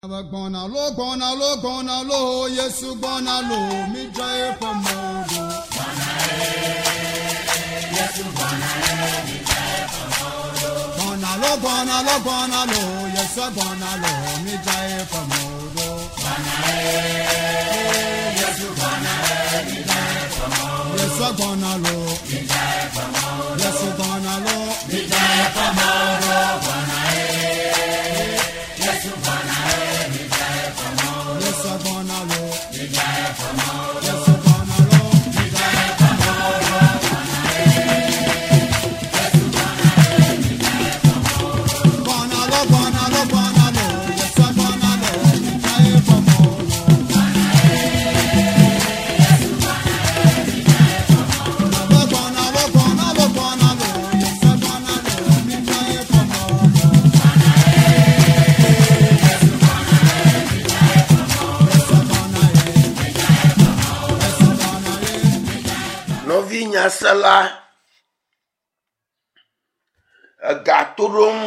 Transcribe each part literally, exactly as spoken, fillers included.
Gbɔna lo gbɔna lo gbɔna lo Yesu gbɔna lo mi dza eƒe mɔ ɖo. Gbɔna lo gbɔna lo gbɔna lo Yesu gbɔna lo mi dza eƒe mɔ ɖo. Yesu gbɔna lo Yesu gbɔna lo mi dza eƒe mɔ ɖo. Yesu gbɔna lo Yesu gbɔna lo mi dza eƒe mɔ ɖo. Gbɔna lo gbɔna lo gbɔna lo Yesu gbɔna lo mi dza eƒe mɔ ɖo. Gbɔna lo gbɔna lo gbɔna lo Yesu gbɔna lo mi dza eƒe mɔ ɖo. Yesu gbɔna ye. Yesu gbɔna ye. Nɔvi nyasela, ega to ɖom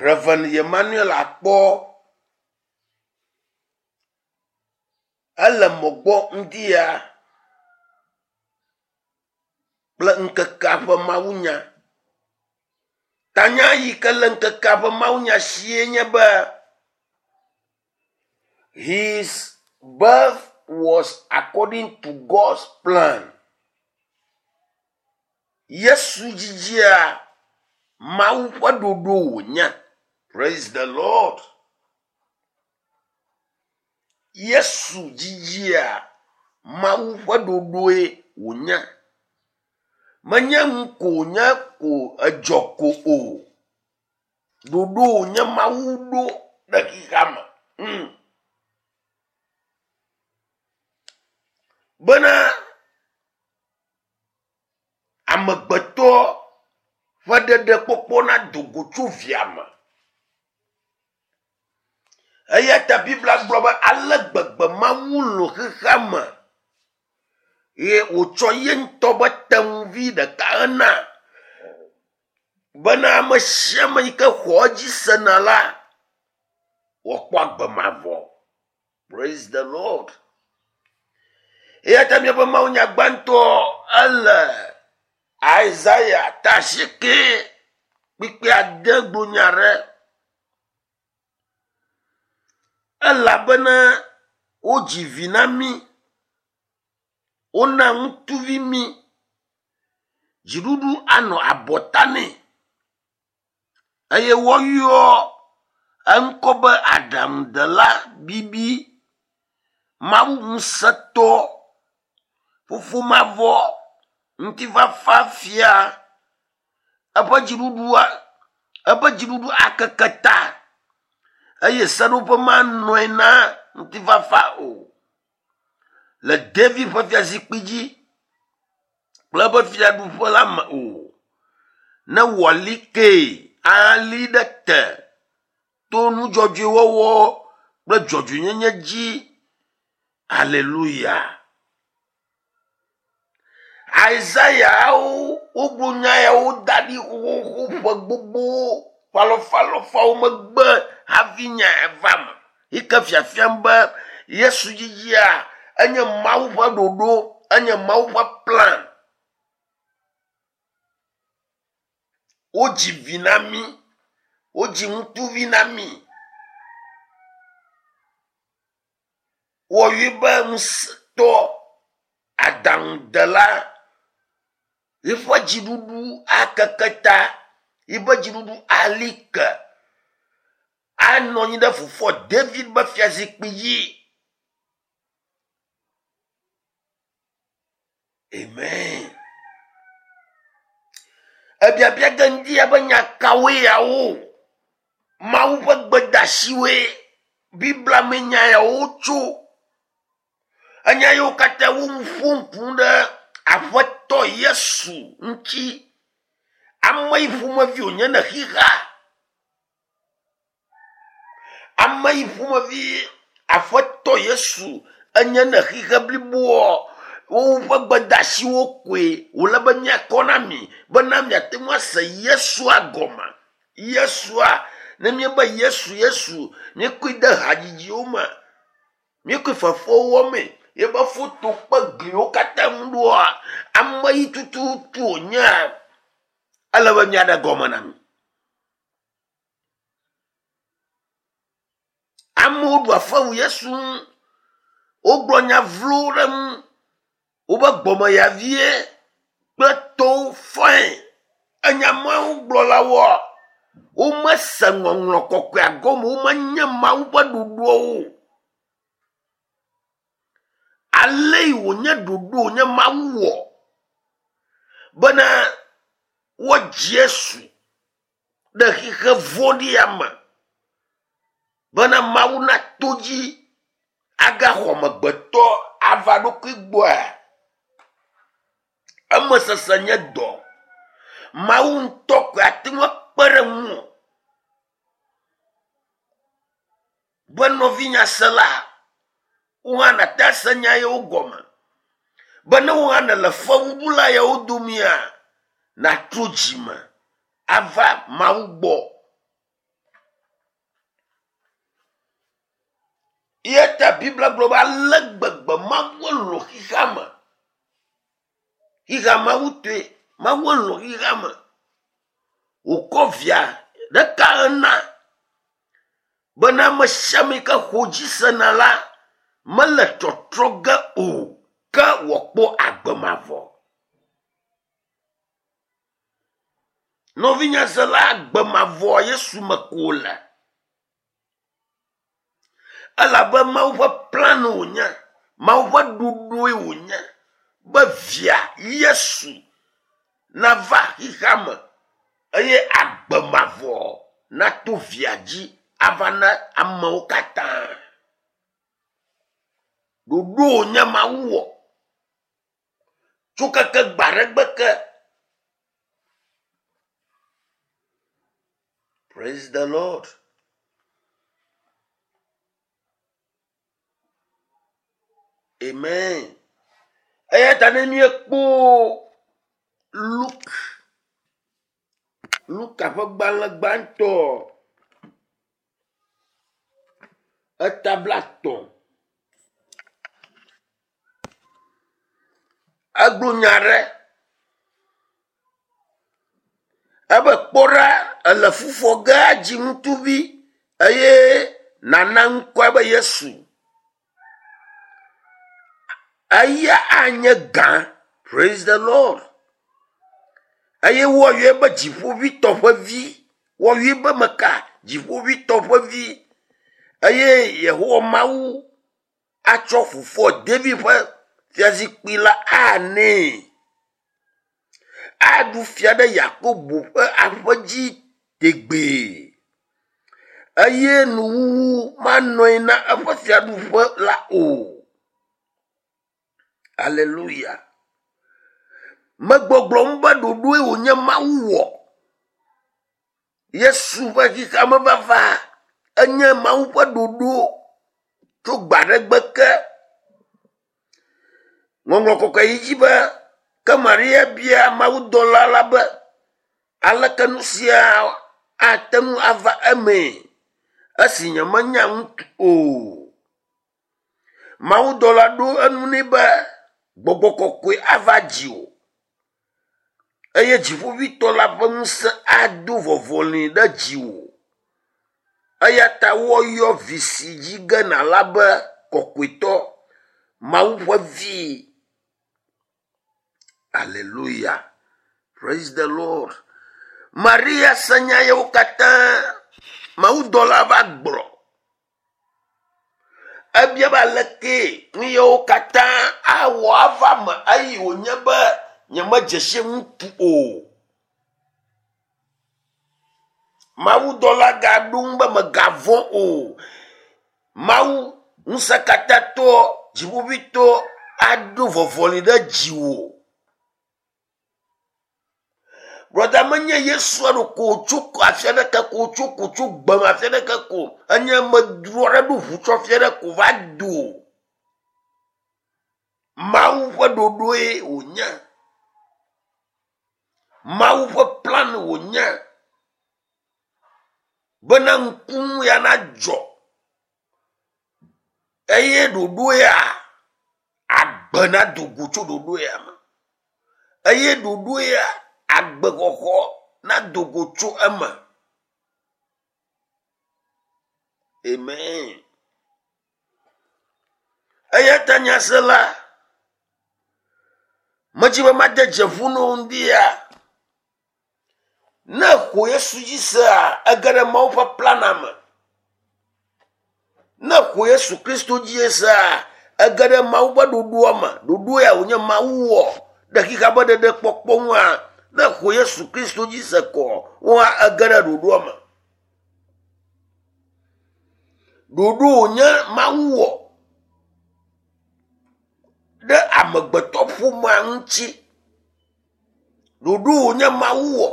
Reverend Emmanuel Akpɔ ele mɔgbɔ ŋdi ya kple ŋkekea ƒe mawunya. Tanya yi ke le ŋkekea ƒe mawunya sie nye be His birth was according to God's plan. Yesu dzidzia Mawu ƒe ɖoɖo wònye. Praise the Lord. Yesu dzidzia Mawu ƒe ɖoɖoe wònye. Menye nu ko wònye ko edzɔ ko o. Ɖoɖo wònye Mawu ɖo ɖe xexea me. Mm. Bena amegbetɔ ƒe ɖeɖekpɔkpɔ nado go tso via me. Eya ta Biblia gblɔ be ale gbegbe Mawu lɔ̃ xexea me ye wòtsɔ ye ŋutɔ be tenuvi ɖeka hena bena ame sia ame yi ke xɔ edzi sena la wòakpɔ agbe mavɔ. Praise the Lord. Eya ta míaƒe mawunya gbãtɔ ele Isaiah ta asieke kpikpi ade gblɔ nya ɖe. Elabena wodzi vi na mí, wona ŋutsuvi mí, dziɖuɖu anɔ abɔta nɛ eye woayɔ eŋkɔ be aɖaŋudela bibi, Mawu ŋusẽtɔ, fofo mavɔ, ŋutifafa fia. Eƒe dziɖuɖua eƒe dziɖuɖu akeke ta eye seɖoƒe manɔe na ŋutifafa o. Le David ƒe fiazikpui dzi kple eƒe fiaɖuƒe la me o. Ne wòali kee ali ɖe te to nudzɔdzɔewɔwɔ kple dzɔdzɔenyenye dzi. Aleluya. Isaiahwo wogblɔ nya yawo da ɖi xoxoxo ƒe gbogbo ƒe alɔfalɔfawo megbe hafi nya ya va me. Yi ke fiafiam be Yesu dzidzia enye Mawu ƒe ɖoɖo, enye Mawu ƒe plan. Wodzi vi na mí, wodzi ŋutsuvi na mí. Wɔyɔe be ŋusẽtɔ, aɖaŋudela, yiƒe dziɖuɖu akeke ta, yiƒe dziɖuɖu ali ke. Anɔ anyi ɖe fofoa David ƒe fiazikpui dzi. Amen. Ebiabia ge ŋdi ya be nya kawoe yawo? Mawu ƒe gbedeasiwoe Biblia me nya yawo tso. Enya yiwo katã wo nu ƒom ƒu ɖe Aƒetɔ Yesu ŋuti. Ame yi ƒomevi wònye ne xexea. Ame yi ƒomevi Aƒetɔ Yesu enye ne xixe bliboa woƒe gbedeasiwo koe wòle be míakɔ na mi bena miate ŋu ase Yesua gɔme. Yesua Ne míebe Yesu Yesu, míekɔe de hadzidziwo me, míekɔe fefewo wɔmee, yebe foto kpe gliwo katã ŋu ɖoa, ame yi tututu wònyea, ele be míaɖe gɔme na mi. Amewo ɖu afewu Yesu ŋu, wogblɔ nya vlowo ɖe eŋu, wobe gbɔmeyavie kple tɔwo fɔe. Enya mawo gblɔlawoa, womese ŋɔŋlɔ kɔkɔea gɔme, womenye Mawu ƒe ɖoɖoawo o. Ale yi wònye ɖoɖo wònye Mawu wɔ bena woadzi Yesu ɖe xixe vɔ̃ɖia me bena Mawu nato dzi agaxɔ amegbetɔ ava ɖokui gbɔa. Eme sese nye dɔ. Mawu ŋutɔ koe ate ŋu akpe ɖe ŋuwò be nɔvinyasela, wo hã nàte ase nya yewo gɔme. Be ne wo hã nèle fewuɖula yawo domea, nàtrɔ dzime ava Mawu gbɔ. Eya ta Biblia gblɔ be ale gbegbe Mawu lɔ̃ xexea me. Xexea Mawu tɔe, Mawu lɔ̃ xexea me. Wòkɔ via ɖeka ena bena ame sia ame yi ke xɔ dzi sena la mele tɔtrɔ ge o, ke wòakpɔ agbe mavɔ. Nɔvinyasela, agbe mavɔ Yesu me ko wòle. Elabe Mawu ƒe plan wònye, Mawu ƒe ɖoɖoe wònye be via Yesu nava xexea me eye agbe mavɔ nato via dzi ava na amewo katã. Ɖoɖo wònye Mawu wɔ tso keke gbe aɖe gbe ke. Praise the Lord. Amen. Eya ta ne míekpɔ Luke, Luka ƒe gbalẽ gbãtɔ, eta blaetɔ̃, egblɔ nya aɖe. Ebe kpɔ ɖa, ele fufɔ ge adzi ŋutsuvi eye nàna ŋkɔe be Yesu. Eya anye gã. Praise the Lord. Eye woayɔe be dziƒoʋĩtɔ ƒe vi. Woayɔe be meka? Dziƒoʋĩtɔ ƒe vi. Eye Yehowa Mawu atsɔ fofoa David ƒe fiazikpui la anɛ. Aɖu fia ɖe Yakobo ƒe aƒe dzi tegbee. Eye nuwuwu manɔe na eƒe fiaɖuƒe la o. Alléluia. Megbɔgblɔm be ɖoɖoe wònye Mawu wɔ. Yesu ƒe xexea me vava enye Mawu ƒe ɖoɖo tso gbe aɖe gbe ke. Ŋɔŋlɔ kɔkɔe yi dzi be ke Maria bia mawudɔla la be aleke nu sia ate ŋu ava emee esi nyemenya ŋutsu o. Mawudɔla ɖo enu nɛ be gbɔgbɔ kɔkɔe ava dziwò eye dziƒoʋĩtɔ la ƒe ŋusẽ ado vɔvɔli ɖe dziwò. Eya ta woayɔ vi si dzi ge nàla be kɔkɔetɔ, Mawu ƒe vi. Alléluia. Praise the Lord. Maria se nya yawo katã mawudɔla va gblɔ. Ebia be aleke nu yawo katã awɔ ava me eye wònye be nyemedze si ŋutsu o. Mawudɔla gaɖo ŋu be mègavɔ̃ o. Mawu ŋusẽkatãtɔ, dziƒoʋĩtɔ aɖo vɔvɔli ɖe dziwò. Brɔda menye Yesua ɖo ko wòtso afi aɖeke ko wòtso ko tso gbeme afi aɖeke ko enye amedzro aɖe ɖo ʋu tsɔ afi aɖe ko va do. Mawu ƒe ɖoɖoe wònye. Mawu ƒe plan wònye. Bena ŋkunu ya na dzɔ. Eye ɖoɖo ya agbe na do go tso ɖoɖo ya me. Eye ɖoɖo ya agbexɔxɔ na do go tso eme. Amen. Eya ta nyasela, medzi be made dze ƒu na wo ŋdi ya. Ne xɔ Yesu dzi sea, ege ɖe Mawu ƒe plana me. Ne xɔ Yesu Kristo dzi sea, ege ɖe Mawu ƒe ɖoɖoa me. Ɖoɖo ya wònye Mawu wɔ ɖe xexea ƒe ɖeɖekpɔkpɔ ŋua. Ne xɔ Yesu Kristo dzi se kɔ, woa ege ɖe ɖoɖoa me. Ɖoɖo wònye Mawu wɔ ɖe amegbetɔ ƒomea ŋuti. Ɖoɖo wònye Mawu wɔ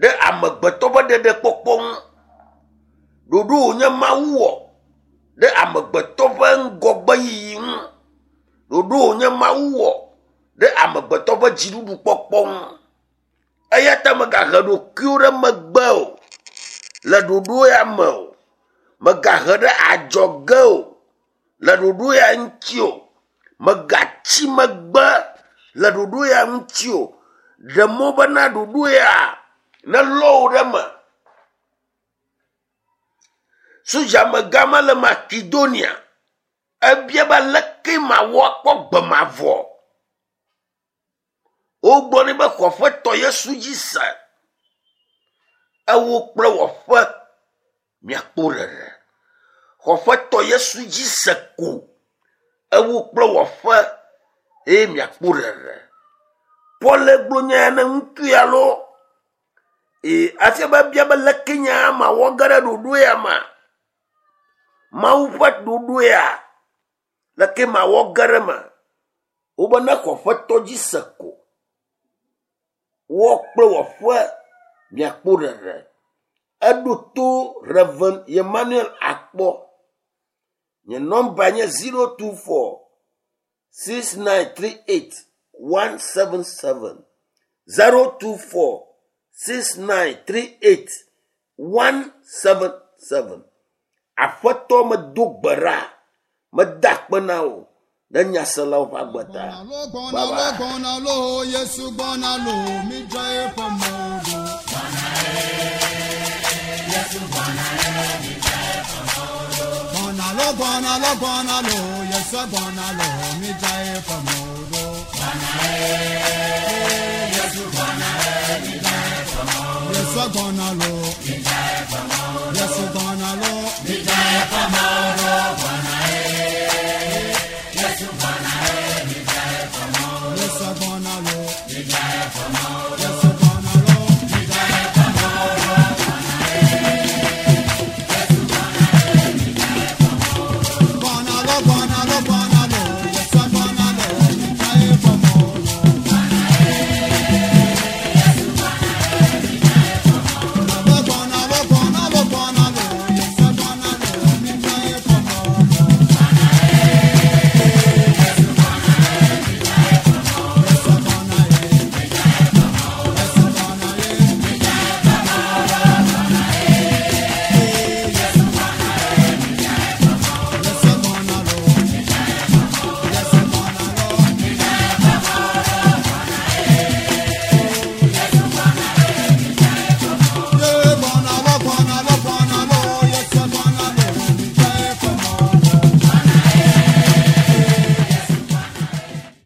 ɖe amegbetɔ ƒe ɖeɖekpɔkpɔ ŋu. Ɖoɖo wònye Mawu wɔ ɖe amegbetɔ ƒe ŋgɔgbeyiyi ŋu. Ɖoɖo wònye Mawu wɔ ɖe amegbetɔ ƒe dziɖuɖukpɔkpɔ ŋu. Eya ta megahe ɖokuiwo ɖe megbe o le ɖoɖo ya me o. Megahe ɖe adzɔge o le ɖoɖo ya ŋuti o. Megatsi megbe le ɖoɖo ya ŋuti o. Ɖe mɔ bena ɖoɖo ya nelɔ wò ɖe eme. Sodzamegã ma le Makedonia. Ebia be aleke mawɔ akpɔ gbe mavɔ. Wogblɔ nɛ be xɔ Aƒetɔ Yesu dzi se. Ewo kple wɔƒe miakpɔ ɖeɖe. Xɔ Aƒetɔ Yesu dzi se ko. Ewo kple wɔƒe eye miakpɔ ɖeɖe. Paul gblɔ nya ya ne ŋutsu ya loo. Ee, hafi be bia be leke nya mawɔ ge ɖe ɖoɖo ya mea? Mawu ƒe ɖoɖo ya, leke mawɔ ge ɖe eme? Wobe ne xɔ Aƒetɔ dzi se ko. Wɔ kple wɔƒe miakpɔ ɖeɖe. Eɖo to Reverend Emmanuel Akpɔ. Nye nɔmba nye zero two four six nine three eight one seven seven. Zero two four six nine three eight one seven seven. Aƒetɔ medo gbe ɖa, meda akpe na wò ɖe nyaselawo ƒe agbe ta. Gbɔna Bye lo, bye. gbɔna lo, Yesu gbɔna lo, midza eƒe mɔ ɖo. Gbɔna lo, gbɔna lo, gbɔna lo, Yesu gbɔna lo, midza eƒe mɔ ɖo. Yesu gbɔna lo, Yesu gbɔna lo,